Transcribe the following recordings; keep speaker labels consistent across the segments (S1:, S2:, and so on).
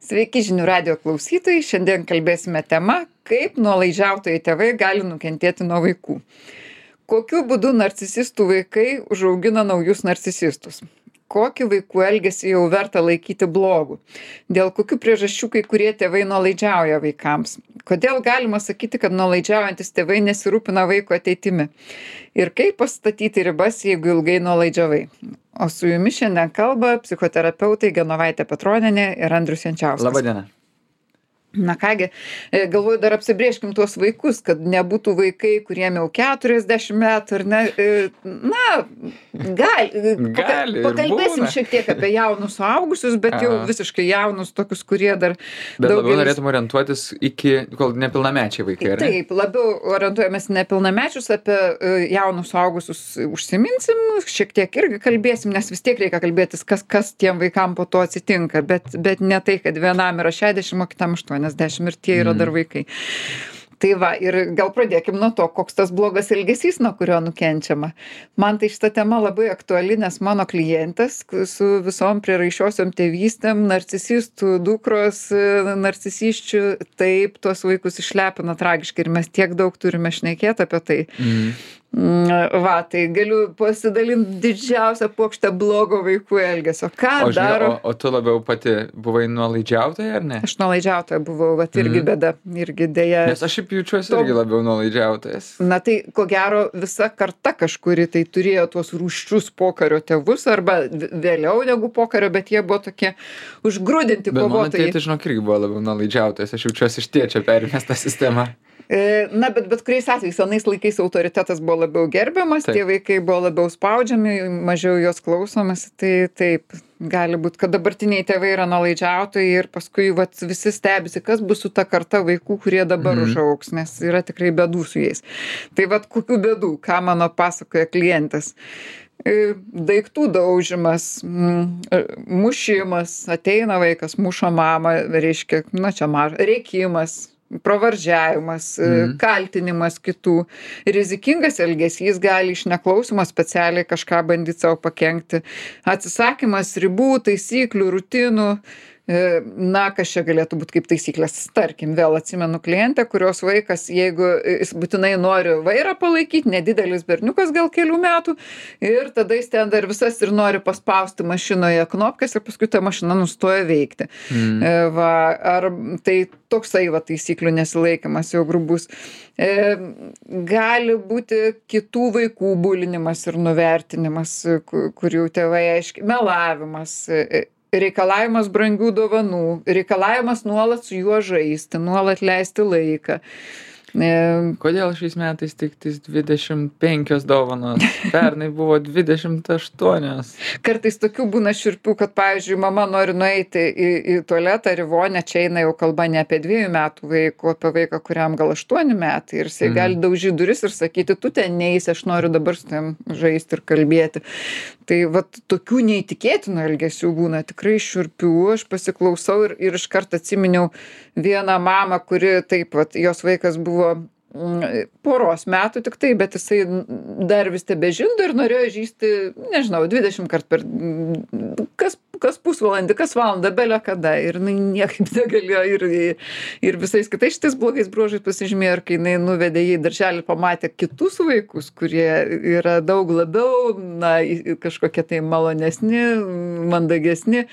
S1: Sveiki žinių radijo klausytojai, šiandien kalbėsime tema, kaip nuolaidžiautojai tėvai gali nukentėti nuo vaikų. Kokiu būdu narcisistų vaikai užaugina naujus narcisistus? Kokį vaikų elgesį jau verta laikyti blogu? Dėl kokių priežasčių kai kurie tėvai nuolaidžiauja vaikams? Kodėl galima sakyti, kad nuolaidžiaujantis tėvai nesirūpina vaiko ateitimi? Ir kaip pastatyti ribas, jeigu ilgai nuolaidžiavai? O su jumis šiandien kalba psichoterapeutai Genovaitė Petronienė ir Andrius Jančiauskas.
S2: Labadiena.
S1: Na kągi, galvoju, dar apsibrėžkim tuos vaikus, kad nebūtų vaikai, kuriem jau 40 metų, ar ne? Pakalbėsim šiek tiek apie jaunus suaugusius, bet jau visiškai jaunus, tokius, kurie dar...
S2: Bet labiau norėtum orientuotis iki, kol nepilnamečiai vaikai, ar ne?
S1: Taip, labiau orientuojamės nepilnamečius, apie jaunus suaugusius užsiminsim, šiek tiek irgi kalbėsim, nes vis tiek reikia kalbėtis, kas tiem vaikam po to atsitinka, bet ne tai, kad vienam yra 60, o kitam 80 ir tie yra dar vaikai. Tai va, ir gal pradėkim nuo to, koks tas blogas elgesys, nuo kurio nukenčiama. Man tai šita tema labai aktuali, nes mano klientės su visom prieraišiosiom tėvystėm, narcisistų, dukros, narcisisčių, taip, tuos vaikus išlepina tragiškai ir mes tiek daug turime šnekėti apie tai. Va, tai galiu pasidalinti didžiausią puokštę blogo vaikų elgesio. Ką daro?
S2: O tu labiau pati buvai nuolaidžiautoja, ar ne?
S1: Aš nuolaidžiautoja buvau, vat irgi bėda, irgi dėja.
S2: Nes aš šiaip jaučiuosi irgi labiau nuolaidžiautojas.
S1: Na tai, ko gero, visa karta kažkuri tai turėjo tuos rūsčius pokario tėvus, arba vėliau negu pokario, bet jie buvo tokie užgrūdinti kovotojai.
S2: Bet mano tėtis, žinok, irgi buvo labiau nuolaidžiautojas. Aš jaučiuosi iš tėčio perimęs tą sistemą.
S1: Na, bet kuriais atvejais, senais laikais autoritetas buvo labiau gerbiamas, tie vaikai buvo labiau spaudžiami, mažiau jos klausomas, tai taip, gali būt, kad dabartiniai tėvai yra nuolaidžiautojai ir paskui visi stebisi, kas bus su ta karta vaikų, kurie dabar užaugs, nes yra tikrai bėdų su jais. Tai kokių bėdų, ką mano pasakoja klientas? Daiktų daužimas, mušimas, ateina vaikas, muša mamą, reiškia, rėkimas, pravardžiavimas, kaltinimas kitų, rizikingas elgesys, gali iš neklausimo specialiai kažką bandyti savo pakenkti, atsisakymas ribų, taisyklių, rutinų. Na, kas čia galėtų būti kaip taisyklės? Tarkim, vėl atsimenu klientę, kurios vaikas, jeigu jis būtinai nori vairą palaikyti, nedidelis berniukas gal kelių metų, ir tada jis ten dar visas ir nori paspausti mašinoje knopkes ir paskui ta mašina nustoja veikti. Ar tai toksai taisyklių nesilaikymas jau grubus. Gali būti kitų vaikų bulinimas ir nuvertinimas, kurių tėvai aiškiai, melavimas, reikalavimas brangių dovanų, reikalavimas nuolat su juo žaisti, nuolat leisti laiką.
S2: Kodėl šiais metais tik 25 dovanos? Pernai buvo 28.
S1: Kartais tokių būna šiurpių, kad, pavyzdžiui, mama nori nueiti į tualetą ar į vonę, čia eina jau kalba ne apie 2 metų vaiką, o apie vaiką, kuriam gal 8 metai. Ir jisai gali daužyti duris ir sakyti, tu ten neisi, aš noriu dabar su tavim žaisti ir kalbėti. Tai tokių neįtikėtinų elgesių būna tikrai šiurpių. Aš pasiklausau ir iš karto atsiminiau vieną mamą, kuri taip, jos vaikas buvo poros metų tik tai, bet jisai dar vis tebežindo ir norėjo žįsti, nežinau, 20 kartų per kas pusvalandį, kas valandą, belio kada. Ir niekaip negalėjo ir visais kitais šitais blogais bruožais pasižymėjo, ir kai jinai nuvedė jį į darželį, pamatė kitus vaikus, kurie yra daug labiau, kažkokie tai malonesni, mandagesni.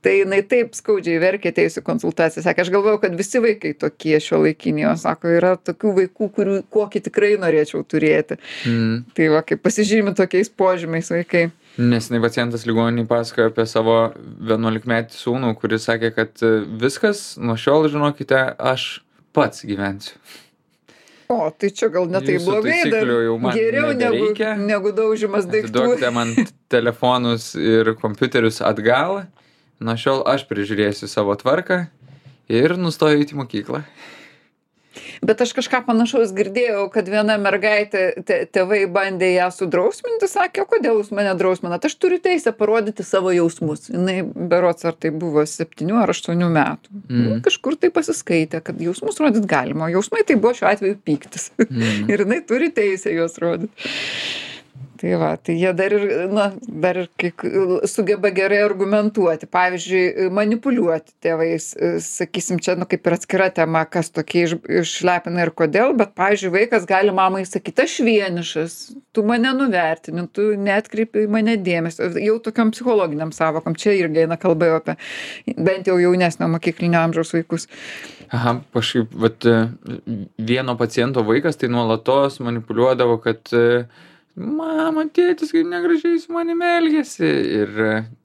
S1: Tai jinai taip skaudžiai verkė atėjusi konsultaciją. Sakė, aš galvojau, kad visi vaikai tokie šiuolaikiniai. O sako, yra tokių vaikų, kokį tikrai norėčiau turėti. Tai kaip pasižymi tokiais požymiais vaikai.
S2: Neseniai pacientas ligoninėj pasakojo apie savo 11-metį sūnų, kuris sakė, kad viskas, nuo šiol, žinokite, aš pats gyvensiu.
S1: O, tai čia gal ne tai blogai, dar geriau negu daužimas daiktų.
S2: Atiduokite man telefonus ir kompiuterius atgal. Nuo šiol aš prižiūrėsiu savo tvarką ir nustoju eiti į mokyklą.
S1: Bet aš kažką panašaus girdėjau, kad viena mergaitė, tėvai bandė ją sudrausminti, sakė, o kodėl jūs mane drausminat? Aš turiu teisę parodyti savo jausmus. Jinai berods, ar tai buvo 7 ar 8 metų. Kažkur tai pasiskaitė, kad jausmus rodyti galima. Jausmai tai buvo šiuo atveju pyktis. Ir jinai turi teisę juos rodyti. Tai va, tai jie dar ir, dar ir sugeba gerai argumentuoti. Pavyzdžiui, manipuliuoti tėvais, sakysim, čia, kaip ir atskira tema, kas tokie išlepina ir kodėl, bet, pavyzdžiui, vaikas gali mamai sakyti, aš vienišas, tu mane nuvertini, tu neatkreipi į mane dėmesio. Jau tokiam psichologiniam savokom, čia irgi eina kalba jau apie bent jau jaunesnio mokyklinio amžiaus vaikus.
S2: Aha, kažkaip, vieno paciento vaikas tai nuolatos manipuliuodavo, kad mama, tėtis kaip negražiai su manimi elgiasi. Ir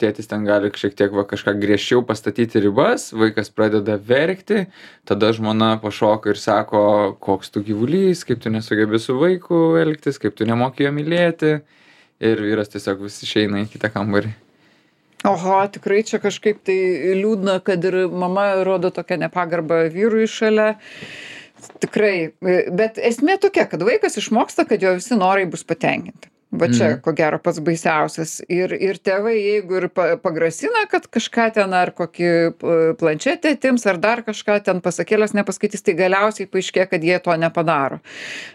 S2: tėtis ten gali šiek tiek kažką griežčiau pastatyti ribas, vaikas pradeda verkti, tada žmona pašoka ir sako, koks tu gyvulys, kaip tu nesugebi su vaiku elgtis, kaip tu nemoki jo mylėti. Ir vyras tiesiog vis išeina į kitą kambarį.
S1: Oho, tikrai čia kažkaip tai liūdna, kad ir mama rodo tokią nepagarbą vyrui šalia. Tikrai, bet esmė tokia, kad vaikas išmoksta, kad jo visi norai bus patenkinti. Va čia, ko gero, pats baisiausias. Ir tėvai, jeigu ir pagrasina, kad kažką ten ar kokį planšetę atims, ar dar kažką ten pasakėlės nepaskaitys, tai galiausiai paaiškėja, kad jie to nepadaro.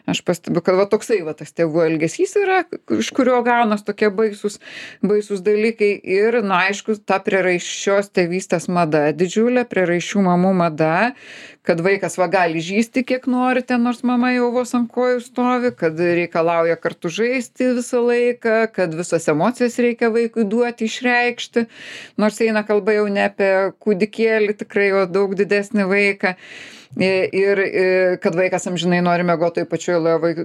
S1: Aš pastebiu, kad va toksai va tas tėvų elgesys yra, iš kurio gaunas tokie baisus dalykai. Ir, aišku, ta prieraišios tėvystės mada, didžiulė prieraišių mamų mada, kad vaikas va gali žysti kiek nori ten, nors mama jau vos ant kojų stovi, kad reikalauja kartu žaisti visą laiką, kad visas emocijas reikia vaikui duoti, išreikšti, nors eina kalba jau ne apie kūdikėlį, tikrai jau daug didesnį vaiką. Ir kad vaikas amžinai nori miegoti toj pačioj lovoj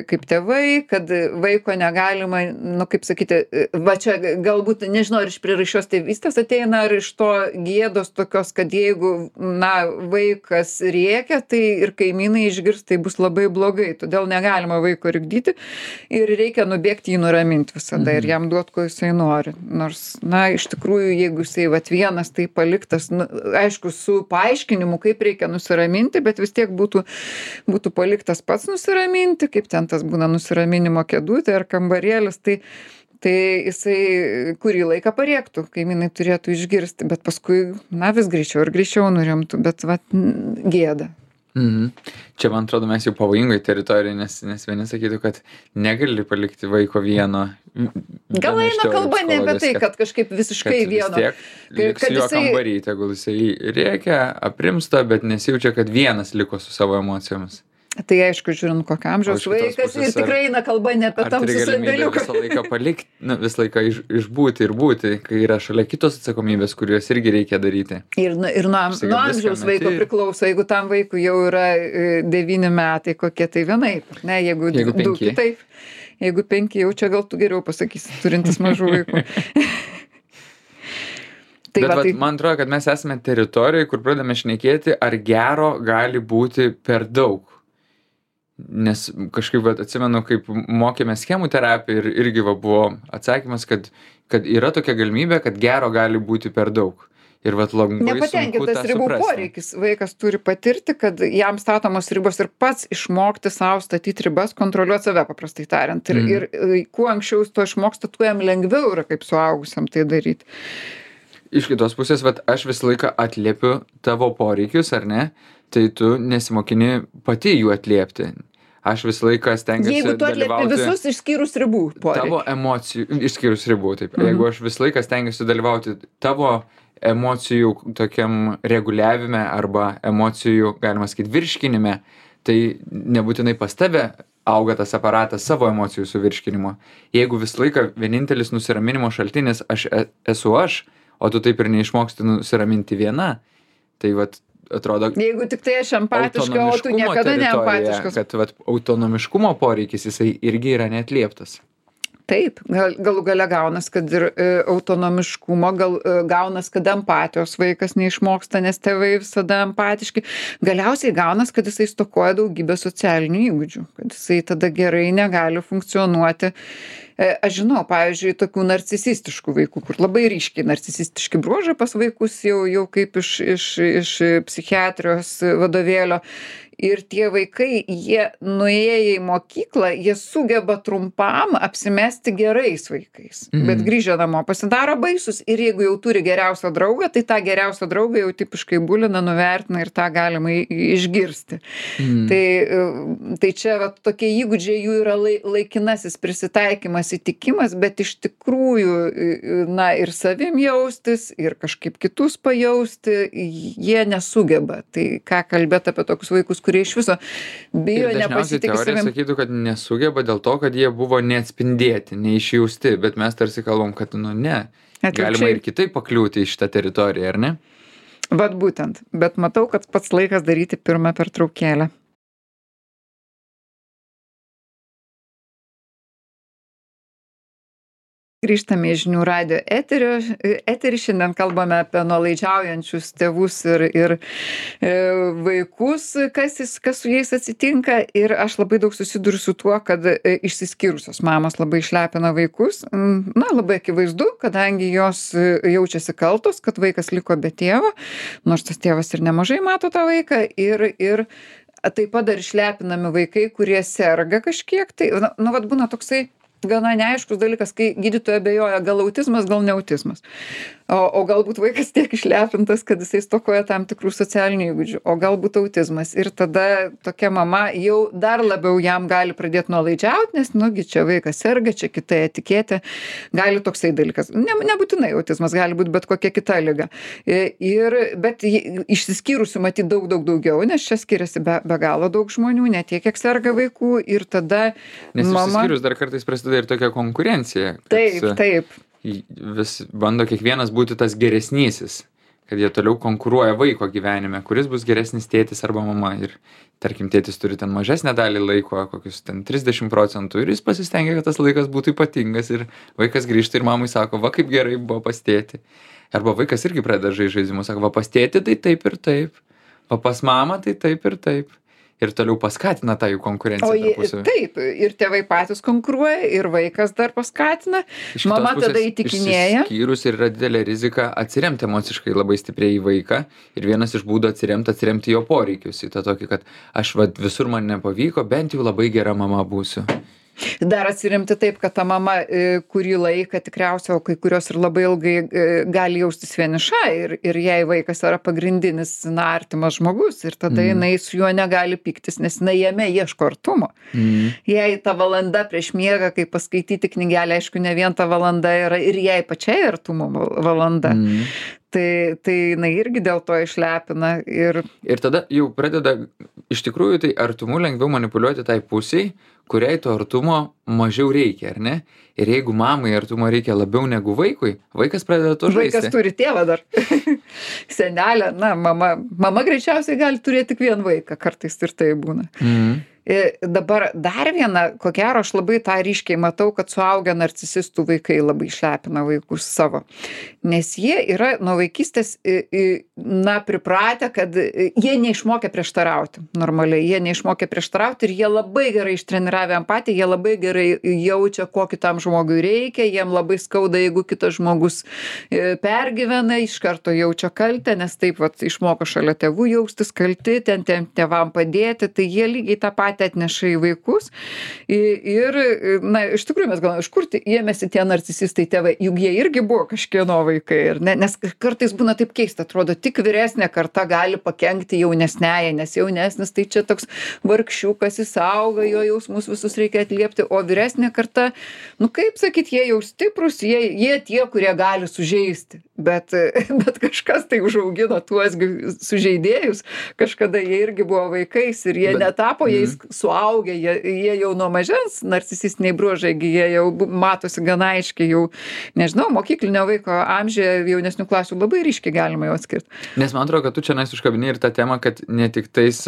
S1: kaip tėvai, kad vaiko negalima, kaip sakyti, va čia galbūt, nežinau, ar iš prieraišios tėvystės ateina, ar iš to gėdos tokios, kad jeigu, vaikas rėkia, tai ir kaimynai išgirs, tai bus labai blogai. Todėl negalima vaiko rikdyti ir reikia nubėgti jį nuraminti visada ir jam duoti, ko jisai nori. Nors, iš tikrųjų, jeigu jisai vienas tai paliktas, aišku, su paaiškinimu, kaip reikia nusiraminti, bet vis tiek būtų paliktas pats nusiraminti, kaip ten tas būna nusiraminimo kėdutė ar kambarėlis, tai jisai kurį laiką parėktų, kaimynai turėtų išgirsti, bet paskui, vis greičiau ir greičiau nurimtų, bet gėda.
S2: Čia, man atrodo, mes jau pavojingoj teritorijai, nes vieni sakytų, kad negali palikti vaiko vieno.
S1: Gal eina kalba ne apie tai, kad kažkaip visiškai vieno.
S2: Vis tiek liks jo kambarį, tegul jisai rėkia, aprimsta, bet nesijaučia, kad vienas liko su savo emocijomis.
S1: Tai aišku, žiūrint, kokio amžiaus vaikas ir tikrai eina kalba ne apie tamsų sandėliuką.
S2: Visą laiką palikti, visą laiką išbūti ir būti, kai yra šalia kitos atsakomybės, kuriuos irgi reikia daryti.
S1: Ir nuo amžiaus vaiko priklauso, jeigu tam vaikui jau yra 9 metai, kokie tai vienaip, ne, jeigu 2 kitaip. Jeigu 5, jau čia gal tu geriau pasakysi, turintis mažų vaikų.
S2: Bet man atrodo, kad mes esame teritorijoje, kur pradame šnekėti, ar gero gali būti per daug. Nes kažkaip atsimenu, kaip mokėme schemų terapiją ir irgi buvo atsakymas, kad yra tokia galimybė, kad gero gali būti per daug. Ir labai sunku tą
S1: nepatenkintas ribų poreikis. Vaikas turi patirti, kad jam statomos ribos ir pats išmokti savo statyti ribas, kontroliuoti save, paprastai tariant. Ir kuo anksčiau jis to išmoksta, tuo jam lengviau yra kaip suaugusiam tai daryti.
S2: Iš kitos pusės, aš visą laiką atliepiu tavo poreikius, ar ne? Tai tu nesimokini pati jų atliepti. Aš visą laiką stengiuosi
S1: dalyvauti. Jeigu tu atliepi visus išskyrus ribų poreikį.
S2: Tavo emocijų, išskyrus ribų, taip. Jeigu aš visą laiką stengiuosi dalyvauti tavo emocijų tokiam reguliavime arba emocijų, galima sakyti, virškinime, tai nebūtinai pas tave auga tas aparatas savo emocijų suvirškinimo. Jeigu visą laiką vienintelis nusiraminimo šaltinis esu aš, o tu taip ir neišmoksti nusiraminti viena, tai atrodo,
S1: jeigu tik tai aš empatiška, o tu niekada neempatiškas.
S2: Kad autonomiškumo poreikis jisai irgi yra neatlieptas.
S1: Taip, galų gale gaunas, kad ir autonomiškumo, gaunas, kad empatijos vaikas neišmoksta, nes tėvai visada empatiški. Galiausiai gaunas, kad jisai stokoja daugybę socialinių įgūdžių, kad jisai tada gerai negali funkcionuoti. Aš žinau, pavyzdžiui, tokių narcisistiškų vaikų, kur labai ryškiai narcisistiški bruožai pas vaikus jau kaip iš psichiatrijos vadovėlio. Ir tie vaikai, jie nuėję į mokyklą, jie sugeba trumpam apsimesti gerais vaikais. Bet grįžę namo pasidaro baisus ir jeigu jau turi geriausią draugą, tai tą geriausią draugą jau tipiškai bulina, nuvertina ir tą galima išgirsti. Tai čia tokie įgūdžiai jų yra laikinasis prisitaikymas nepasitikimas, bet iš tikrųjų, na, ir savim jaustis, ir kažkaip kitus pajausti, jie nesugeba. Tai ką kalbėt apie tokius vaikus, kurie iš viso bijo,
S2: Ir dažniausiai
S1: nepasitikė
S2: teorija
S1: savim.
S2: sakytų, kad nesugeba dėl to, kad jie buvo neatspindėti, neišjausti, bet mes tarsi kalbam, kad nu ne, galima
S1: Atvirkščiai.
S2: ir kitaip pakliūti į šitą teritoriją, ar ne?
S1: Vat būtent. Bet matau, kad pats laikas daryti pirmą pertraukėlę. Grįžtame į žinių radijo eterį. Šiandien kalbame apie nuolaidžiaujančius tėvus ir vaikus, kas su jais atsitinka. Ir aš labai daug susiduriu su tuo, kad išsiskyrusios mamos labai išlepina vaikus. Na, labai akivaizdu, kadangi jos jaučiasi kaltos, kad vaikas liko be tėvo, nors tas tėvas ir nemažai mato tą vaiką. Ir taip pat dar išlepinami vaikai, kurie serga kažkiek. Tai, nu, vat būna toksai gana neaiškus dalykas, kai gydytoja abejoja, gal autizmas, gal ne autizmas. O galbūt vaikas tiek išlepintas, kad jisai stokoja tam tikrų socialinių įgūdžių, o galbūt autizmas. Ir tada tokia mama jau dar labiau jam gali pradėti nuolaidžiauti, nes, nugi, čia vaikas serga, čia kita etiketė, gali toksai dalykas. Nebūtinai autizmas, gali būti bet kokia kita liga. Bet išsiskyrusių matyti daugiau, nes čia skiriasi be galo daug žmonių, ne tiek, kiek serga vaikų. Ir tada
S2: Nes
S1: mama...
S2: išsiskyrus dar kartais prasideda ir tokia konkurencija.
S1: Taip.
S2: Vis bando kiekvienas būti tas geresnysis, kad jie toliau konkuruoja vaiko gyvenime, kuris bus geresnis tėtis arba mama. Ir tarkim, tėtis turi ten mažesnę dalį laiko, kokius ten 30%, ir jis pasistengia, kad tas laikas būtų ypatingas, ir vaikas grįžta ir mamai sako, va kaip gerai buvo pas tėtį. Arba vaikas irgi pradeda žaidimus, sako, va pas tėtį tai taip ir taip, va pas mamą tai taip ir taip. Ir toliau paskatina tą jų konkurenciją tarpusavy.
S1: Taip, ir tėvai patys konkuruoja, ir vaikas dar paskatina. Mama tada įtikinėja.
S2: Išsiskyrus ir yra didelė rizika atsiremti emociškai labai stipriai į vaiką. Ir vienas iš būdų atsiremti jo poreikius. Į tą tokį, kad aš visur man nepavyko, bent jau labai gera mama būsiu.
S1: Dar atsiremti taip, kad ta mama kurį laiką tikriausiai, o kai kurios ir labai ilgai gali jaustis vieniša ir jai vaikas yra pagrindinis artimas žmogus ir tada jinai su juo negali pyktis, nes jinai jame ieško artumo. Jei ta valanda prieš miegą, kai paskaityti knygelę, aišku, ne vien ta valanda yra ir jai pačiai artumo valanda. Tai jinai irgi dėl to išlepina.
S2: Ir tada jau pradeda, iš tikrųjų, tai artumu lengviau manipuliuoti tai pusiai, kuriai to artumo mažiau reikia, ar ne? Ir jeigu mamai artumo reikia labiau negu vaikui, vaikas pradeda to žaisti.
S1: Vaikas turi tėvą dar. Senelė, na, mama greičiausiai gali turėti tik vieną vaiką, kartais ir tai būna. Dabar dar viena, ko gero, aš labai tą ryškiai matau, kad suaugę narcisistų vaikai labai išlepina vaikus savo. Nes jie yra nuo vaikystės, pripratę, kad jie neišmokė prieštarauti normaliai. Jie neišmokė prieštarauti ir jie labai gerai ištreniravo empatiją, jie labai gerai jaučia, ko kitam žmogui reikia, jiem labai skauda, jeigu kitas žmogus pergyvena, iš karto jaučia kaltę, nes taip vat išmoko šalia tėvų jaustis kalti, ten tėvam padėti, tai jie lygiai tą patį atneša į vaikus. Ir, na, iš tikrųjų mes galvojame, iš kur ėmėsi tie narcisistai tėvai, juk jie irgi buvo kažkieno vaikai. Nes kartais būna taip keista, atrodo, tik vyresnė karta gali pakenkti jaunesnėje, nes jaunesnis tai čia toks vargšiukas, jis auga, jo jausmus visus reikia atliepti, o vyresnė karta, nu kaip sakyt, jie jau stiprus, jie tie, kurie gali sužeisti. Bet kažkas tai užaugino tuos sužeidėjus, kažkada jie irgi buvo vaikais ir jie netapo jais suaugę, jie jau nuo mažens narcisistiniai bruožai, jie jau matosi gana aiškiai, jau, nežinau, mokyklinio vaiko amžiuje jaunesnių klasių labai ryškiai galima jau atskirti.
S2: Nes man atrodo, kad tu čia užkabini ir tą temą, kad ne tik tais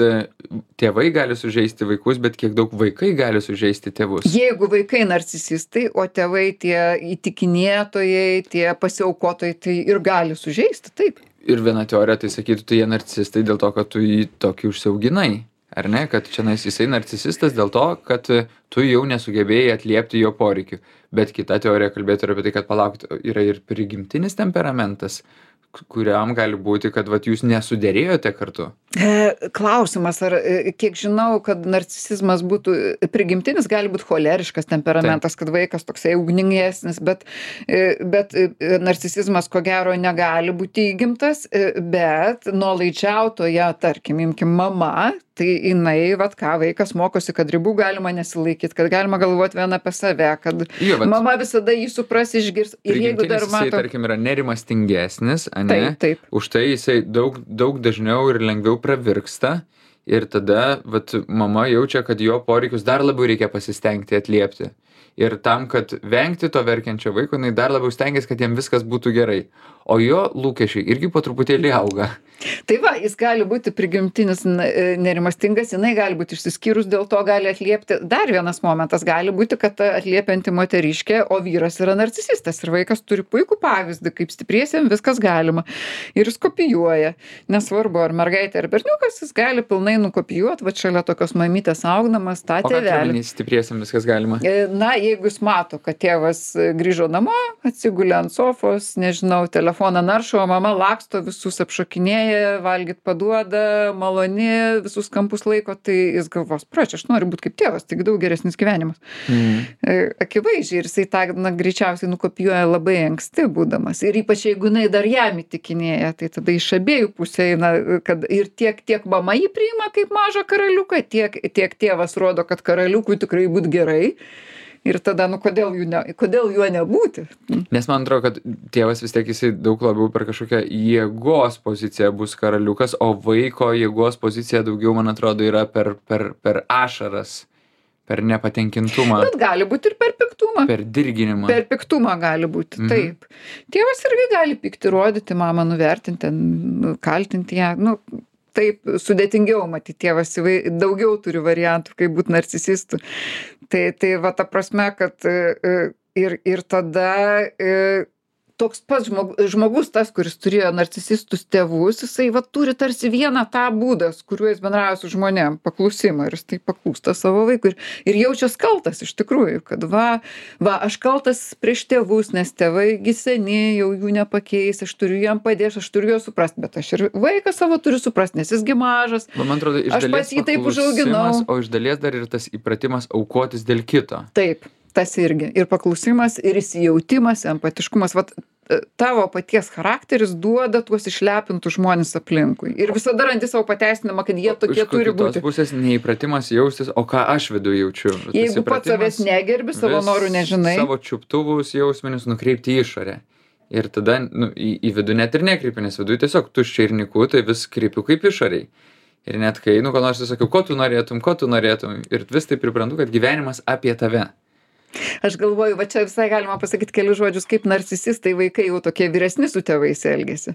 S2: tėvai gali sužeisti vaikus, bet kiek daug vaikai gali sužeisti tėvus.
S1: Jeigu vaikai narcisistai, o tėvai tie įtikinėtojai, tie pasiaukotojai, tai ir gali sužeisti, taip.
S2: Ir viena teorija tai sakytų, tai jie narcisistai dėl to, kad tu jį tokį užsiauginai. Ar ne, kad čia jisai narcisistas dėl to, kad tu jau nesugebėjai atliepti jo poreikių. Bet kita teorija kalbėtų ir apie tai, kad palaukti, yra ir prigimtinis temperamentas, kuriam gali būti, kad vat, jūs nesuderėjote kartu.
S1: Klausimas, ar kiek žinau, kad narcisizmas būtų prigimtinis, gali būti choleriškas temperamentas, kad vaikas toksai ugningesnis, bet narcisizmas ko gero negali būti įgimtas, bet nuolaidžiautoja, tarkim, imkim mama, tai jinai, vat ką, vaikas mokosi, kad ribų galima nesilaikyti, kad galima galvoti vien apie save, kad mama visada jį supras, išgirs. Ir jeigu dar
S2: mato... Jisai, tarkim, yra nerimastingesnis, ane? Taip. Už tai jisai daug dažniau ir lengviau pravirksta. Ir tada, vat, mama jaučia, kad jo poreikius dar labiau reikia pasistengti atliepti. Ir tam, kad vengti to verkiančio vaiko, jinai dar labiau stengiasi, kad jam viskas būtų gerai. O jo lūkesčiai irgi po truputėlį auga.
S1: Tai va, jis gali būti prigimtinis nerimastingas, jinai gali būti išsiskyrus, dėl to gali atliepti. Dar vienas momentas gali būti, kad atliepianti moteriškė, o vyras yra narcisistas. Ir vaikas turi puikų pavyzdį, kaip stipriesiem viskas galima. Ir jis kopijuoja. Nesvarbu, ar mergaitė, ar berniukas, jis gali pilnai nukopijuoti, va šalia tokios mamytės augdamas tą tėvelį.
S2: O ką stipriesiem viskas galima?
S1: Na, jeigu jis mato, kad tėvas grįžo namo, atsigulė ant sofos, nežinau, telefoną naršo, o mama laksto, visus apšokinėja, valgyt paduoda, maloni, visus kampus laiko, tai jis galvos, aš noriu būti kaip tėvas, taigi daug geresnis gyvenimas. Akivaizdžiai, ir jisai tą greičiausiai nukopijuoja labai anksti būdamas. Ir ypač jeigu jinai dar jam įtikinėja, tai tada iš abiejų pusė eina, kad ir tiek mama jį priima kaip mažą karaliuką, tiek tėvas rodo, kad karaliukui tikrai būt gerai. Ir tada, kodėl juo nebūti?
S2: Nes man atrodo, kad tėvas vis tiek jisai daug labiau per kažkokią jėgos poziciją bus karaliukas, o vaiko jėgos pozicija daugiau, man atrodo, yra per ašaras, per nepatenkintumą.
S1: Bet gali būti ir per piktumą.
S2: Per dirginimą.
S1: Per piktumą gali būti, taip. Tėvas irgi gali pykti, rodyti mamą, nuvertinti, kaltinti ją, taip sudėtingiau matyti, tėvas daugiau turi variantų, kaip būti narcisistų. Tai va ta prasme, kad ir tada toks pats žmogus, tas, kuris turėjo narcisistus tėvus, jisai va turi tarsi vieną tą būdą, kuriuo jis bendrauja su žmonėm, paklusimą, ir jis tai paklūsta savo vaikui ir jaučias kaltas iš tikrųjų, kad va, aš kaltas prieš tėvus, nes tėvai gi seni, jau jų nepakeis, aš turiu jam padėti, aš turiu juos suprasti, bet aš ir vaiką savo turiu suprasti, nes jis gi mažas,
S2: man atrodo, aš pats jį taip užauginau. O iš dalies dar ir tas įpratimas aukotis dėl kito.
S1: Taip. Tas irgi. Ir paklusimas, ir įsijautimas, empatiškumas. Vat tavo paties charakteris duoda tuos išlepintus žmonės aplinkui. Ir visada randi savo pateisinimą, kad jie tokie turi būti.
S2: Iš kitos pusės neįpratimas jaustis, o ką aš viduje jaučiu.
S1: Jeigu pats savęs negerbi, savo norų nežinai.
S2: Savo čiuptuvus jausmenis nukreipti į išorę. Ir tada į vidų net ir nekreipi, nes viduje tiesiog tuščia ir niku, tai vis kreipiu kaip išoriai. Ir net kai, ko nors sakiau, ko tu norėtum. Ir vis tai priprantu, kad gyvenimas apie tave.
S1: Aš galvoju, va čia visai galima pasakyti kelius žodžius, kaip narcisistai vaikai jau tokie vyresni su tėvais elgiasi.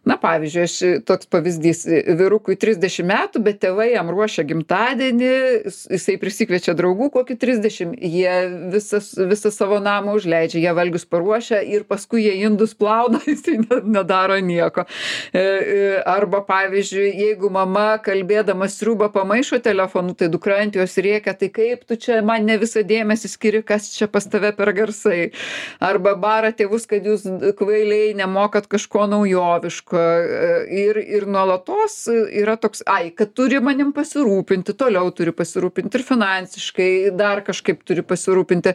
S1: Na, pavyzdžiui, toks pavyzdys, vyrukui 30 metų, bet tėvai jam ruošia gimtadienį, jisai prisikviečia draugų kokį 30, jie visą savo namą užleidžia, jie valgius paruošia ir paskui jie indus plauna, jisai nedaro nieko. Arba, pavyzdžiui, jeigu mama kalbėdama sriubą pamaišo telefonu, tai dukra ant jos rėkia, tai kaip tu čia man ne visą dėmesį skiri, kas čia pas tave per garsai. Arba bara tėvus, kad jūs kvailiai nemokat kažko naujoviško. Ir nuolatos yra toks, kad turi manim pasirūpinti, toliau turi pasirūpinti ir finansiškai, dar kažkaip turi pasirūpinti,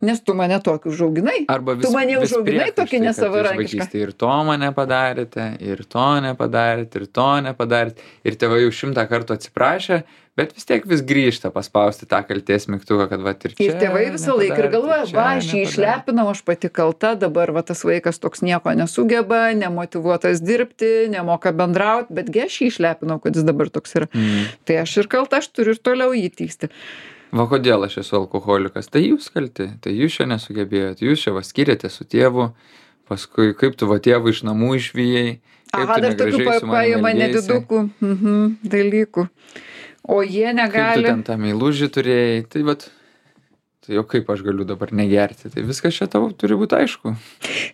S1: nes tu mane tokį užauginai. Tu mane užauginai tokį nesavarankišką.
S2: Ir to mane padarėte, ir to nepadarėte, ir to nepadarėte. Ir tėvai jau 100 kartų atsiprašė, bet vis tiek vis grįžta paspausti tą kaltės mygtuką, kad va ir čia.
S1: Ir tėvai visą laiką ir galvoja, aš jį išlepinau, aš pati kalta, dabar va tas vaikas toks nieko nesugeba, nemotyvuotas dirbti, nemoka bendrauti, betgi aš jį išlepinau, kad jis dabar toks yra. Tai aš ir kalta, aš turiu ir toliau jį tįsti.
S2: Va kodėl aš esu alkoholikas? Tai jūs kalti, tai jūs čia nesugebėjote, jūs čia skiriate su tėvu, paskui kaip tu va tėvų iš namų išvijai, kaip tu negražiai su manimi
S1: nedidukų dalykų. O jie negali.
S2: Kaip tu ten tą meilužį turėjai, tai jau kaip aš galiu dabar negerti, tai viskas čia tau turi būti aišku.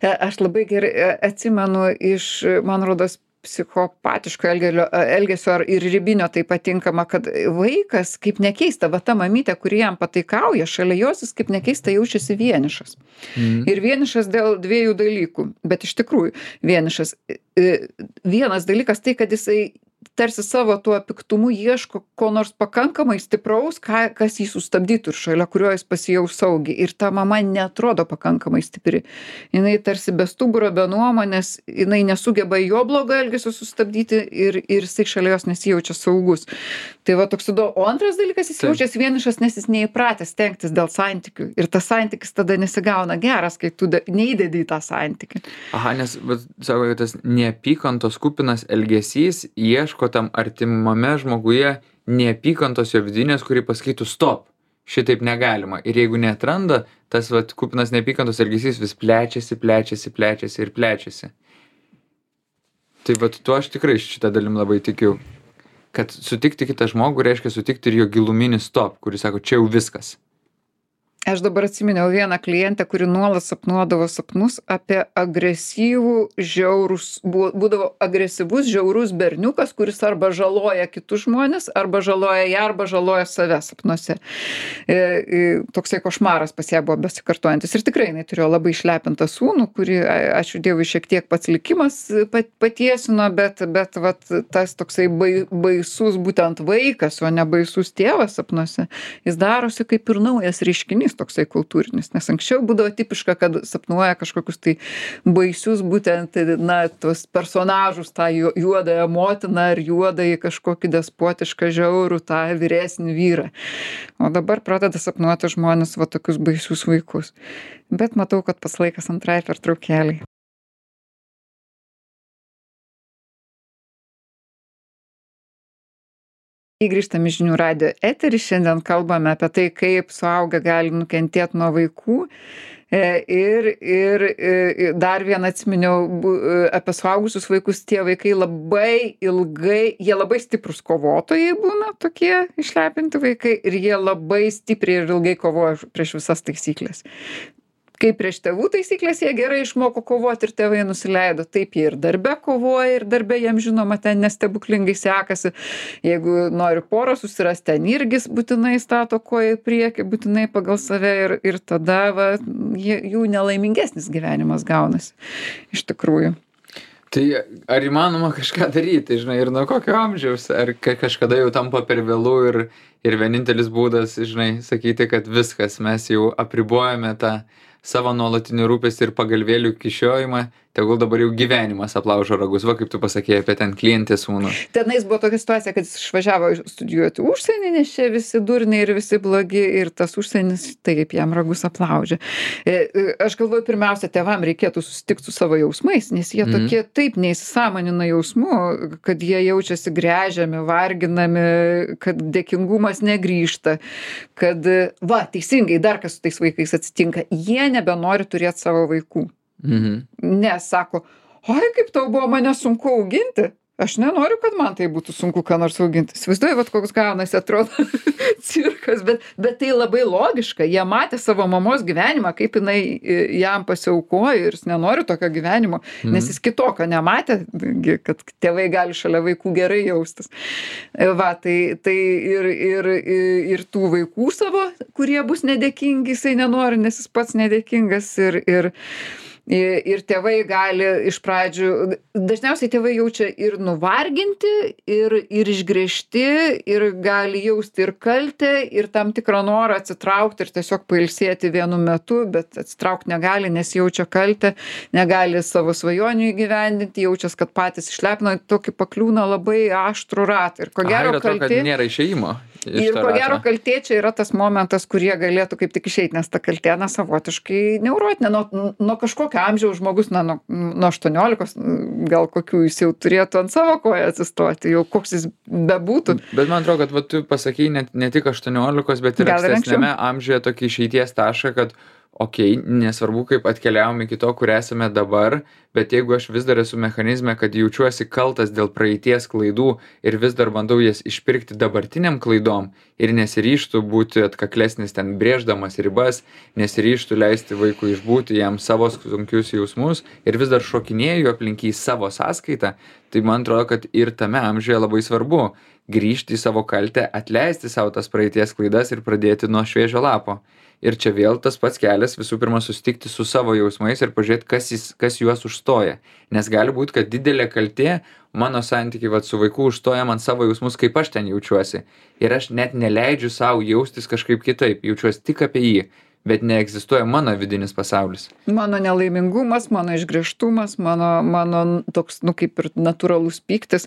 S1: Aš labai gerai atsimenu iš, man rodos, psichopatiško elgesio ir ribinio tai patinkama, kad vaikas, kaip nekeista, va ta mamytė, kuri jam pataikauja, šalia jos jis kaip nekeista jaučiasi vienišas. Ir vienišas dėl 2 dalykų, bet iš tikrųjų vienišas. Vienas dalykas tai, kad jisai tarsi savo tuo piktumu ieško ko nors pakankamai stipraus, kas jį sustabdytų ir šalia kurio jis pasijaus saugiai. Ir ta mama neatrodo pakankamai stipri. Jinai tarsi be stuburo, be nuomonės, jinai nesugeba jo blogo elgesio sustabdyti ir jisai šalia jos nesijaučia saugus. Tai va toks įdomu. O antras dalykas, jis jaučiasi vienišas, nes jis neįpratęs stengtis dėl santykių. Ir tas santykis tada nesigauna geras, kai tu neįdedi į tą santykį.
S2: Aha, nes, sako, kad tas neapykantos kupinas elgesys ieško tam artimame žmoguje neapykantos jo vidinės, kuri pasakytų stop, šitaip negalima. Ir jeigu neatranda, tas kupinas neapykantos elgesys vis plečiasi ir plečiasi. Tai tuo aš tikrai šitą dalim labai tikiu. Kad sutikti kitą žmogų reiškia sutikti ir jo giluminį stop, kuris sako, čia jau viskas.
S1: Aš dabar atsiminiau vieną klientę, kuri nuolat sapnuodavo sapnus apie būdavo agresyvus, žiaurus berniukas, kuris arba žaloja kitus žmonės, arba žaloja ją, arba žaloja save sapnuose. Toksai košmaras pas ją buvo besikartojantis. Ir tikrai jinai turėjo labai išlepintą sūnų, kurį, ačiū Dievui, šiek tiek pats likimas patiesino, bet tas toksai baisus būtent vaikas, o ne baisus tėvas sapnuose, jis darosi kaip ir naujas reiškinys toksai kultūrinis, nes anksčiau būdavo tipiška, kad sapnuoja kažkokius tai baisius būtent, tos personažus, tą juodąją motiną ar juodąjį kažkokį despotišką žiaurų, tą vyresnį vyrą. O dabar pradeda sapnuoti žmonės tokius baisius vaikus. Bet matau, kad pats laikas antrai pertraukėlei. Grįžtam į Žinių radijo eterį, šiandien kalbame apie tai, kaip suaugę gali nukentėti nuo vaikų. Ir dar vieną atsiminiau apie suaugusius vaikus, tie vaikai labai ilgai, jie labai stiprus kovotojai būna, tokie išlepinti vaikai, ir jie labai stipriai ir ilgai kovoja prieš visas taisyklės. Kaip prieš tėvų taisyklės jie gerai išmoko kovoti ir tėvai nusileido, taip jie ir darbe kovoja ir darbe jiem žinoma ten nestebuklingai sekasi. Jeigu nori porą susirasti, ten irgi būtinai stato koją į priekį, būtinai pagal save ir tada jų nelaimingesnis gyvenimas gaunasi iš tikrųjų.
S2: Tai ar įmanoma kažką daryti, žinai, ir nuo kokio amžiaus, ar kažkada jau tampa per vėlų ir vienintelis būdas, žinai, sakyti, kad viskas, mes jau apribojame tą savo nuolatinį rūpestį ir pagalvėlių kišiojimą, tegul dabar jau gyvenimas aplaužo ragus. Va, kaip tu pasakėjai apie ten klientės sūnų.
S1: Tenais buvo tokia situacija, kad jis išvažiavo studijuoti užsienį, nes čia visi durniai ir visi blogi ir tas užsienis taip jam ragus aplaužė. Aš galvoju, pirmiausia, tėvam reikėtų susitikti su savo jausmais, nes jie tokie taip neįsisąmonina jausmų, kad jie jaučiasi gręžiami, varginami, kad dėkingumas negrįžta, kad, teisingai, dar kas su tais vaikais atsitinka, jie nebenori turėti savo vaikų. Nes sako, oi, kaip tau buvo mane sunku auginti, aš nenoriu, kad man tai būtų sunku ką nors auginti. Įsivaizduoju, koks gaunasi, atrodo cirkas, bet tai labai logiška. Jie matė savo mamos gyvenimą, kaip jinai jam pasiaukojo ir jis nenori tokio gyvenimo, nes jis kitokio nematė, kad tėvai gali šalia vaikų gerai jaustis. Tai ir tų vaikų savo, kurie bus nedėkingi, jisai nenori, nes jis pats nedėkingas ir tėvai gali iš pradžių, dažniausiai tėvai jaučia ir nuvarginti, ir išgręžti, ir gali jausti ir kaltę, ir tam tikrą norą atsitraukti ir tiesiog pailsėti vienu metu, bet atsitraukti negali, nes jaučia kaltę, negali savo svajonių įgyvendinti, jaučias, kad patys išlepino, tokį pakliūna labai aštrų ratą. Ir ko gero kaltė
S2: nėra išėjimo.
S1: Ir ko gero kaltė čia yra tas momentas, kurie galėtų kaip tik išeiti, nes ta kaltė savotiškai neurotinė. Nuo kažkokio amžiaus žmogus, nuo 18, gal kokių jis jau turėtų ant savo koją atsistoti, jau koks jis bebūtų.
S2: Bet man atrodo, kad tu pasakei ne tik 18, bet ir ankstesniame amžiuje tokį išeities tašką, kad nesvarbu, kaip atkeliavom iki to, kur esame dabar, bet jeigu aš vis dar esu mechanizme, kad jaučiuosi kaltas dėl praeities klaidų ir vis dar bandau jas išpirkti dabartiniam klaidom ir nesiryžtų būti atkaklesnis ten brėždamas ribas, nesiryžtų leisti vaikui išbūti jam savo sunkius jausmus ir vis dar šokinėju aplink į savo sąskaitą, tai man atrodo, kad ir tame amžiuje labai svarbu grįžti į savo kaltę, atleisti savo tas praeities klaidas ir pradėti nuo šviežio lapo. Ir čia vėl tas pats kelias visų pirma susitikti su savo jausmais ir pažiūrėti, kas juos užstoja. Nes gali būti, kad didelė kaltė mano santykiai vat, su vaiku užstoja man savo jausmus, kaip aš ten jaučiuosi. Ir aš net neleidžiu savo jaustis kažkaip kitaip, jaučiuosi tik apie jį. Bet neegzistuoja mano vidinis pasaulis.
S1: Mano nelaimingumas, mano išgręžtumas, mano toks, kaip ir natūralus pyktis.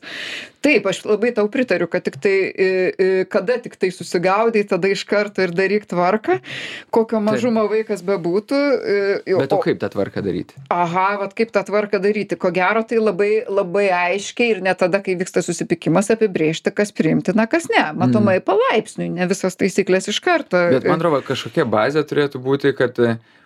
S1: Taip, aš labai tau pritariu, kad kada tik tai susigaudai, tada iš karto ir daryk tvarką, kokio mažumo vaikas bebūtų.
S2: Bet o kaip tą tvarką daryti?
S1: Aha, vat kaip tą tvarką daryti. Ko gero, tai labai, labai aiškiai ir ne tada, kai vyksta susipykimas, apibrėžti, kas priimtina, kas ne. Matomai palaipsniui, ne visas taisyklės iš karto.
S2: Bet man atrodo, kažkokia bazė turėtų būti, kad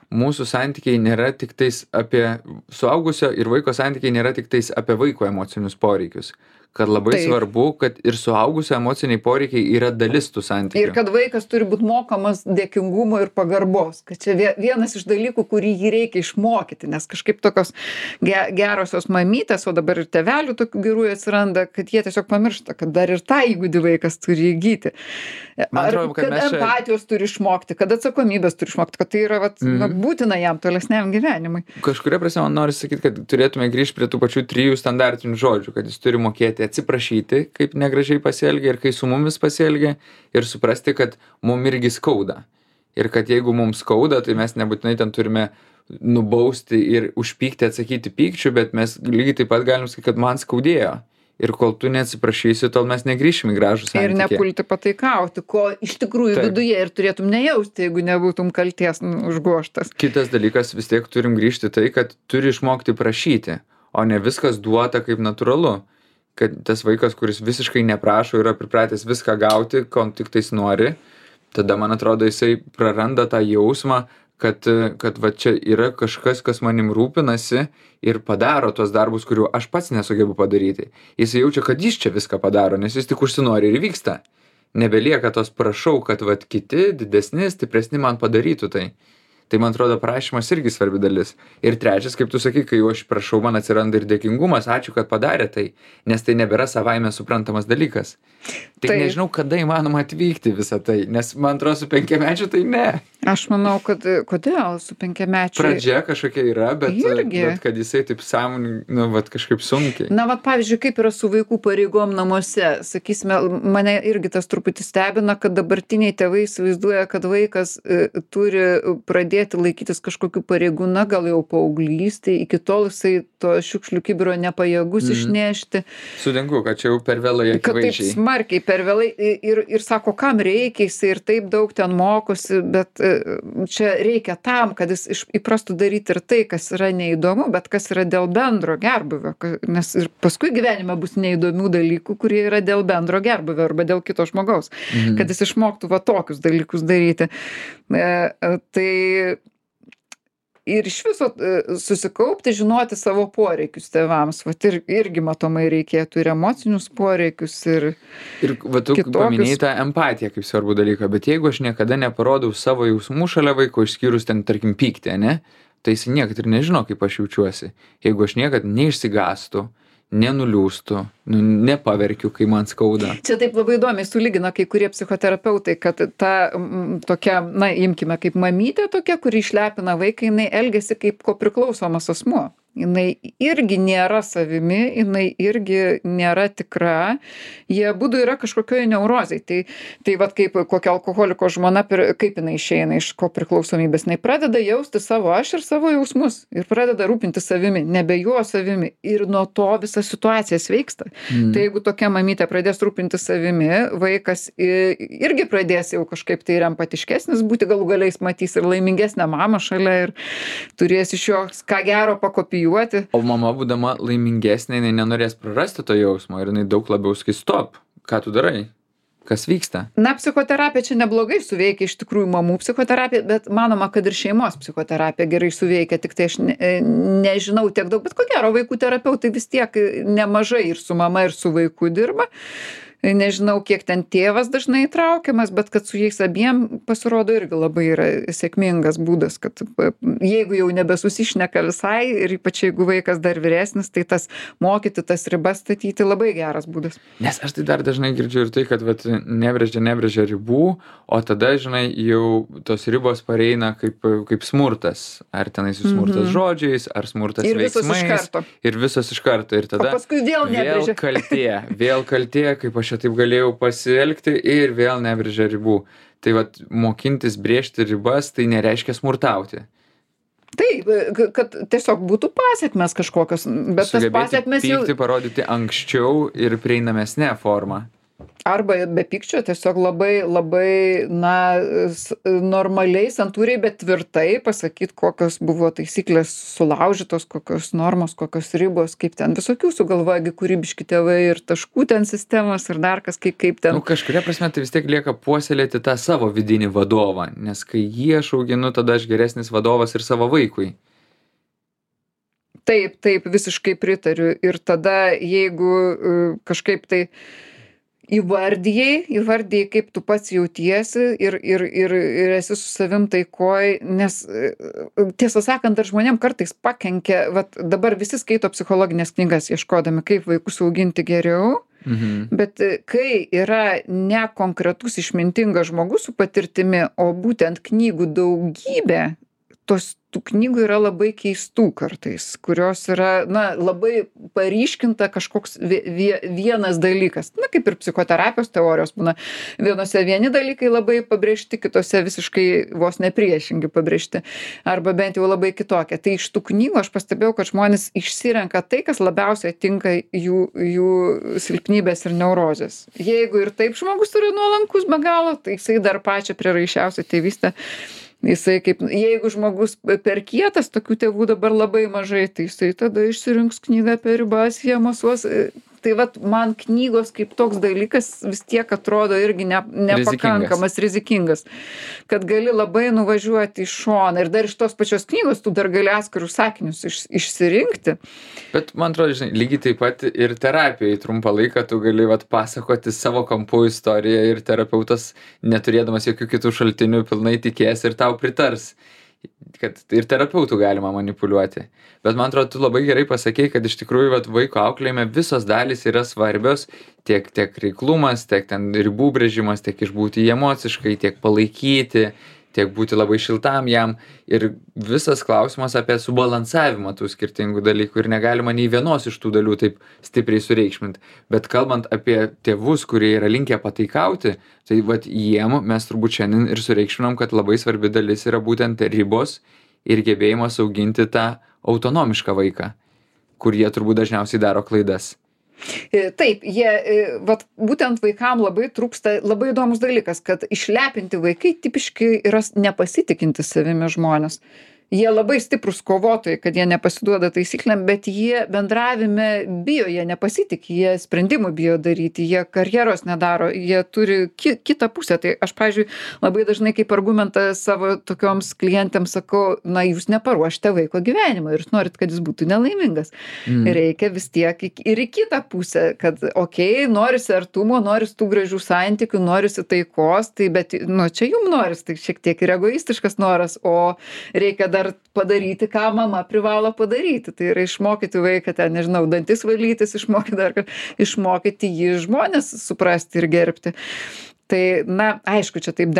S2: mūsų santykiai nėra tik tais apie suaugusio ir vaiko santykiai nėra tik tais apie vaiko emocinius poreikius. Kad labai svarbu, kad ir suaugusio emociniai poreikiai yra dalis tų santykių.
S1: Ir kad vaikas turi būti mokamas dėkingumo ir pagarbos. Kad čia vienas iš dalykų, kurį jį reikia išmokyti, nes kažkaip tokios gerosios mamytės, o dabar ir tėvelių tokių gerųjų atsiranda, kad jie tiesiog pamiršta, kad dar ir tą įgūdį vaikas turi įgyti. Kad empatijos turi išmokti, kad atsakomybės turi išmokti, kad tai yra būtina jam tolesniam gyvenimui.
S2: Kažkuria prasme man nori sakyti, kad turėtume grįžti prie tų pačių 3 standartinių žodžių, kad jis turi mokėti atsiprašyti, kaip negražiai pasielgia ir kai su mumis pasielgia, ir suprasti, kad mum irgi skauda. Ir kad jeigu mums skauda, tai mes nebūtinai ten turime nubausti ir užpykti, atsakyti pykčiu, bet mes lygiai taip pat galim sakyti, kad man skaudėjo. Ir kol tu neatsiprašysi, tol mes negrįšim į gražų santykį.
S1: Ir nepulti pataikauti, ko iš tikrųjų viduje ir turėtum nejausti, jeigu nebūtum kalties užgožtas.
S2: Kitas dalykas, vis tiek turim grįžti tai, kad turi išmokti prašyti, o ne viskas duota kaip natūralu. Kad tas vaikas, kuris visiškai neprašo, yra pripratęs viską gauti, ko tik tais nori, tada, man atrodo, jisai praranda tą jausmą, kad va čia yra kažkas, kas manim rūpinasi ir padaro tuos darbus, kurių aš pats nesugebu padaryti. Jis jaučia, kad jis čia viską padaro, nes jis tik užsinori ir vyksta. Nebelieka tos prašau, kad va kiti didesni, stipresni man padarytų tai. Tai, man atrodo, prašymas irgi svarbi dalis. Ir trečias, kaip tu sakai, kai jau aš prašau, man atsiranda ir dėkingumas, ačiū, kad padarė tai, nes tai nebėra savaime suprantamas dalykas. Tik nežinau, kada įmanoma atvykti visą tai, nes, man atrodo, su 5-mečiu tai ne.
S1: Aš manau, kad kodėl su 5-mečiu?
S2: Pradžia kažkokia yra, bet kad jisai taip sąmoningai, kažkaip sunkiai.
S1: Na, pavyzdžiui, kaip yra su vaikų pareigom namuose. Sakysime, mane irgi tas truputį stebina, kad dabartiniai tėvai įsivaizduoja, kad vaikas turi pradėti laikytis kažkokių pareigų, na, gal jau paauglystėj, iki tol jisai to šiukšlių kibiro nepajėgus išnešti.
S2: Sutinku, kad čia jau per vėlai akivaizdžiai.
S1: Kad taip smarkiai per vėlai ir sako, kam reikia, jisai ir taip daug ten mokosi, bet čia reikia tam, kad jis įprastų daryti ir tai, kas yra neįdomu, bet kas yra dėl bendro gerbūvio, nes ir paskui gyvenime bus neįdomių dalykų, kurie yra dėl bendro gerbūvio arba dėl kito žmogaus, kad jis išmoktų va tokius dalykus daryti. Tai ir iš viso susikaupti, žinoti savo poreikius tėvams. Vat irgi matomai reikėtų ir emocinius poreikius, ir
S2: va, tu paminėjai tą empatiją kaip svarbų dalyką, bet jeigu aš niekada neparodau savo jausmų šalia vaiko, išskyrus ten, tarkim, pyktį, ne, tai jis niekad ir nežino, kaip aš jaučiuosi. Jeigu aš niekad neišsigąstu, nenuliūstu, nepaverkiu, kai man skauda.
S1: Čia taip labai įdomiai sulygina kai kurie psichoterapeutai, kad ta tokia, na, imkime, kaip mamytė tokia, kuri išlepina vaiką, jinai elgiasi kaip kopriklausomas asmuo. Jinai irgi nėra savimi, jinai irgi nėra tikra, jie abudu yra kažkokioje neurozėj. Tai vat kaip kokia alkoholiko žmona, kaip jinai išeina iš kopriklausomybės, jinai pradeda jausti savo aš ir savo jausmus ir pradeda rūpinti savimi, nebe juo savimi. Ir nuo to visa situacija sveiksta. Tai jeigu tokia mamytė pradės rūpinti savimi, vaikas irgi pradės jau kažkaip tai ir empatiškesnis būti, galų galiais matys ir laimingesnę mamą šalia ir turės iš jo ką gero pakopijuoti.
S2: O mama, būdama laimingesnė, jinai nenorės prarasti to jausmo ir jinai daug labiau sakys, stop, ką tu darai, kas vyksta.
S1: Na, psichoterapija čia neblogai suveikia, iš tikrųjų mamų psichoterapija, bet manoma, kad ir šeimos psichoterapija gerai suveikia, tik tai aš nežinau tiek daug, bet ko gero vaikų terapeutai vis tiek nemažai ir su mama, ir su vaiku dirba. Nežinau, kiek ten tėvas dažnai įtraukiamas, bet kad su jais abiem pasirodo irgi labai yra sėkmingas būdas, kad jeigu jau nebesusišneka visai ir ypač jeigu vaikas dar vyresnis, tai tas mokyti tas ribas statyti labai geras būdas.
S2: Nes aš tai dar dažnai girdžiu ir tai, kad vat, nebrėžia ribų, o tada, žinai, jau tos ribos pareina kaip smurtas. Ar tenai su smurtas žodžiais, ar smurtas
S1: Ir visos
S2: veiksmais.
S1: iš karto.
S2: Ir visos iš karto. Ir tada
S1: O paskui vėl nebrėžia.
S2: vėl kaltė, kaip aš čia taip galėjau pasielgti ir vėl nebrėžia ribų. Tai vat, mokintis brėžti ribas, tai nereiškia smurtauti.
S1: Taip, kad tiesiog būtų pasiekmes kažkokios, bet tas pasiekmes jau...
S2: Pykti parodyti anksčiau ir prieinamesnė forma.
S1: Arba be pykčio tiesiog labai, normaliai, santūriai, bet tvirtai pasakyti, kokios buvo taisyklės sulaužytos, kokios normos, kokios ribos, kaip ten visokių sugalvoja kūrybiški tėvai ir taškų ten sistemos ir dar kas, kaip ten.
S2: Kažkuria prasme tai vis tiek lieka puoselėti tą savo vidinį vadovą, nes kai jį aš auginu, tada aš geresnis vadovas ir savo vaikui.
S1: Taip, visiškai pritariu. Ir tada, jeigu kažkaip tai įvardijai, kaip tu pats jautiesi ir esi su savim taikoj, nes tiesą sakant, dar žmonėm kartais pakenkia, vat dabar visi skaito psichologinės knygas, ieškodami, kaip vaikus auginti geriau, bet kai yra ne konkretus išmintingas žmogus su patirtimi, o būtent knygų daugybė, tų knygų yra labai keistų kartais, kurios yra, labai paryškinta kažkoks vienas dalykas. Kaip ir psichoterapijos teorijos būna. Vienose vieni dalykai labai pabrėžti, kitose visiškai vos nepriešingi pabrėžti. Arba bent jau labai kitokie. Tai iš tų knygų aš pastebėjau, kad žmonės išsirenka tai, kas labiausiai tinka jų silpnybės ir neurozės. Jeigu ir taip žmogus yra nuolankus be galo, tai jisai dar pačią prieraišiausią tėvystę. Jisai jeigu žmogus per kietas, tokių tėvų dabar labai mažai, tai jisai tada išsirinks knygą apie ribas, jie masuos. Tai vat man knygos kaip toks dalykas vis tiek atrodo irgi nepakankamas, rizikingas. Kad gali labai nuvažiuoti į šoną ir dar iš tos pačios knygos tu dar gali atskirus sakinius išsirinkti.
S2: Bet man atrodo, žinai, lygiai taip pat ir terapijai trumpą laiką tu gali pasakoti savo kampų istoriją ir terapeutas, neturėdamas jokių kitų šaltinių, pilnai tikės ir tau pritars. Kad ir terapeutų galima manipuliuoti. Bet man atrodo, tu labai gerai pasakei, kad iš tikrųjų vaiko auklėjime visos dalys yra svarbios, tiek reiklumas, tiek ten ribų brėžimas, tiek išbūti emociškai, tiek palaikyti, tiek būti labai šiltam jam. Ir visas klausimas apie subalansavimą tų skirtingų dalykų ir negalima nei vienos iš tų dalių taip stipriai sureikšminti. Bet kalbant apie tėvus, kurie yra linkę pataikauti, tai jiem mes turbūt šiandien ir sureikšminam, kad labai svarbi dalis yra būtent ribos ir gebėjimas auginti tą autonomišką vaiką, kur jie turbūt dažniausiai daro klaidas.
S1: Taip, būtent vaikam labai trūksta, labai įdomus dalykas, kad išlepinti vaikai tipiškai yra nepasitikintys savimi žmonės. Jie labai stiprus kovotojai, kad jie nepasiduoda taisyklėm, bet jie bendravime bijo, jie nepasitikė, jie sprendimų bijo daryti, jie karjeros nedaro, jie turi kitą pusę. Tai aš, pavyzdžiui, labai dažnai kaip argumentą savo tokioms klientėms sakau, jūs neparuošite vaiko gyvenimą ir norit, kad jis būtų nelaimingas. Reikia vis tiek ir į kitą pusę, kad norisi artumo, norisi tų gražių santykių, norisi taikos, tai bet, čia jums norisi, tai šiek tiek ir egoistiškas noras, o reikia dar padaryti, ką mama privalo padaryti. Tai yra išmokyti vaiką ten, dantis valytis, išmokyti jį žmonės suprasti ir gerbti. Tai, aišku, čia taip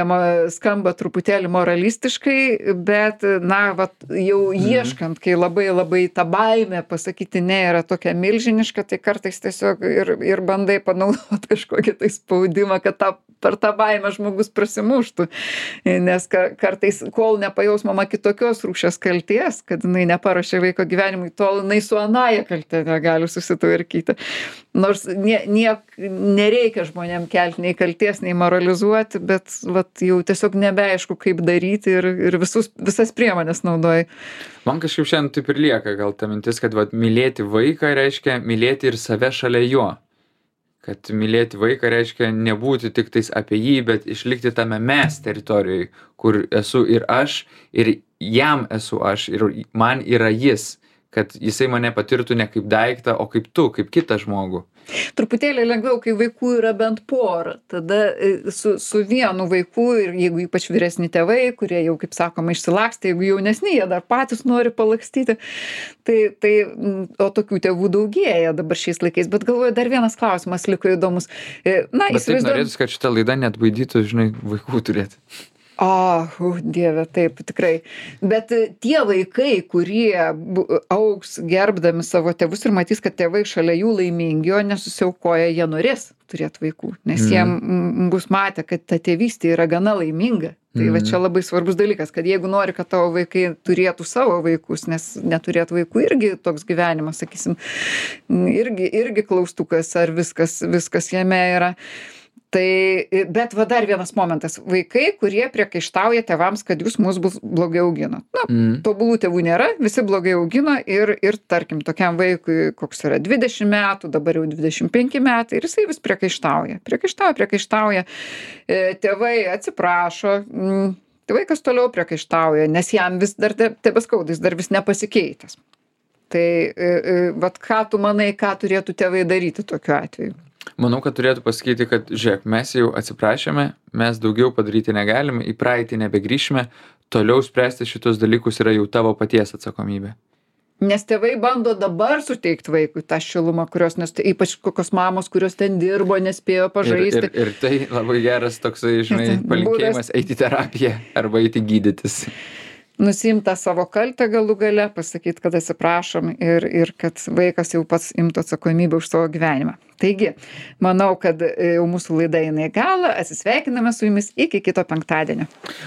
S1: skamba truputėlį moralistiškai, bet, jau ieškant, kai labai ta baimė pasakyti ne yra tokia milžiniška, tai kartais tiesiog ir bandai panaudoti kažkokį tai spaudimą, kad per tą baimę žmogus prasimuštų. Nes kartais, kol nepajaus mama kitokios rūšies kalties, kad jinai neparuošė vaiko gyvenimui, tol jinai su anaja kaltė negali susitvarkyti. Nors nereikia žmonėm kelti nei kalties, nei moralizuoti, bet jau tiesiog nebeaišku, kaip daryti ir visas priemonės naudoji.
S2: Man kažkaip šiandien taip ir lieka gal ta mintis, kad mylėti vaiką reiškia mylėti ir save šalia jo. Kad mylėti vaiką reiškia nebūti tik tais apie jį, bet išlikti tame mes teritorijai, kur esu ir aš, ir jam esu aš, ir man yra jis. kad jisai mane patirtų ne kaip daiktą, o kaip tu, kaip kitą žmogų.
S1: Truputėlį lengviau, kai vaikų yra bent pora. Tada su vienu vaiku ir jeigu ypač vyresni tėvai, kurie jau, kaip sakoma, išsilakstė, jeigu jaunesni, jie dar patys nori palakstyti, o tokių tėvų daugėja dabar šiais laikais. Bet galvoju, dar vienas klausimas liko įdomus. Na,
S2: Bet taip norėtus, kad šitą laidą net baidytų, žinai, vaikų turėti.
S1: Dieve, taip, tikrai. Bet tie vaikai, kurie augs gerbdami savo tėvus ir matys, kad tėvai šalia jų laimingi, o nesusiaukoja, jie norės turėti vaikų, nes jie bus matę, kad ta tėvystė yra gana laiminga. Tai va čia labai svarbus dalykas, kad jeigu nori, kad tavo vaikai turėtų savo vaikus, nes neturėtų vaikų irgi toks gyvenimas, sakysim, irgi klaustukas, ar viskas jame yra. Bet va dar vienas momentas. Vaikai, kurie priekaištauja tėvams, kad jūs mus blogai augino. Tobulų tėvų nėra, visi blogai augino ir tarkim, tokiam vaikui, koks yra 20 metų, dabar jau 25 metai, ir jisai vis priekaištauja. Priekaištauja. Tėvai atsiprašo, vaikas toliau priekaištauja, nes jam vis dar tebeskauda, jis dar vis nepasikeitęs. Tai vat ką tu manai, ką turėtų tėvai daryti tokiu atveju?
S2: Manau, kad turėtų pasakyti, kad žiūrėk, mes jau atsiprašėme, mes daugiau padaryti negalime, į praeitį nebegrįšime, toliau spręsti šitus dalykus yra jau tavo paties atsakomybė.
S1: Nes tėvai bando dabar suteikti vaikui tą šilumą, nes ypač kokios mamos, kurios ten dirbo, nespėjo pažaisti.
S2: Ir tai labai geras toksai, žinai, palinkėjimas eiti į terapiją arba eiti gydytis.
S1: Nusiimt tą savo kaltę galų gale, pasakyti, kad atsiprašom ir kad vaikas jau pats imtų atsakomybę už savo gyvenimą. Taigi, manau, kad jau mūsų laida eina į galą, atsisveikiname su jumis iki kito penktadienio.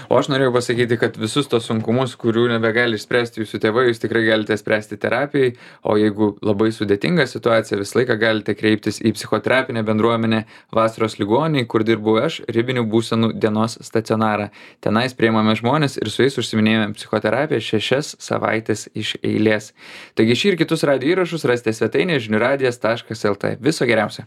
S2: O aš norėjau pasakyti, kad visus tos sunkumus, kurių nebegali išspręsti jūsų tėvai, jūs tikrai galite spręsti terapijai, o jeigu labai sudėtinga situacija, visą laiką galite kreiptis į psichoterapinę bendruomenę Vasaros ligoninėj, kur dirbu aš, ribinių būsenų dienos stacionarą. Tenais priimame žmonės ir su jais užsiminėjame psichoterapiją 6 savaitės iš eilės. Taigi šį ir kitus radijo įrašus rasite svetainėje žiniųradijas.lt. Viso geriausio.